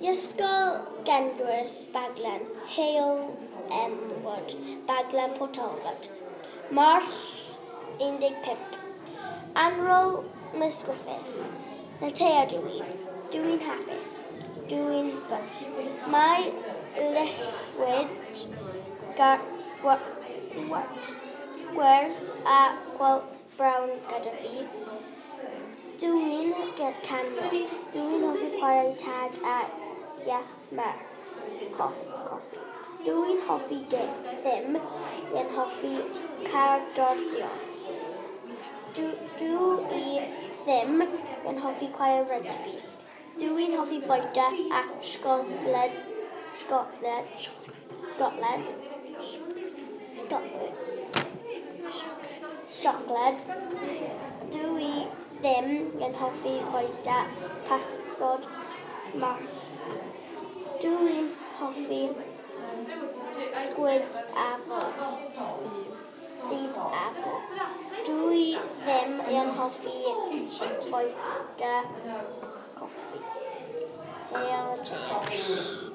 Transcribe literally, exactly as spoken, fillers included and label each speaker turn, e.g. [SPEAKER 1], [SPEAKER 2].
[SPEAKER 1] Ysgol Genllwyn Baglan, Heol Elmwood, Baglan Port Talbot. Mawrth un deg pump. Annwyl Miss Griffiths. Natea dw i. Dw i'n hapus. Dw i'n bump. Mae liquid gwyrdd a gwallt brown gyda fi. Dw i'n canio. Dw i'n hoffi chwarae tag a Yammer. Coff, coffi. Dw i'n hoffi ddim yn hoffi cerddoriaeth. Dw, dw i ddim yn hoffi chwarae rygbi. Dw i'n hoffi fwyta a Scotland, Scotland, Scotland, Scotland, siocled. Dw i ddim yn hoffi fwyta pysgod march. Dw i'n hoffi sgwid afal. Sudd afal. Dw i ddim yn hoffi bwyta coffi. Hwyl, Natea.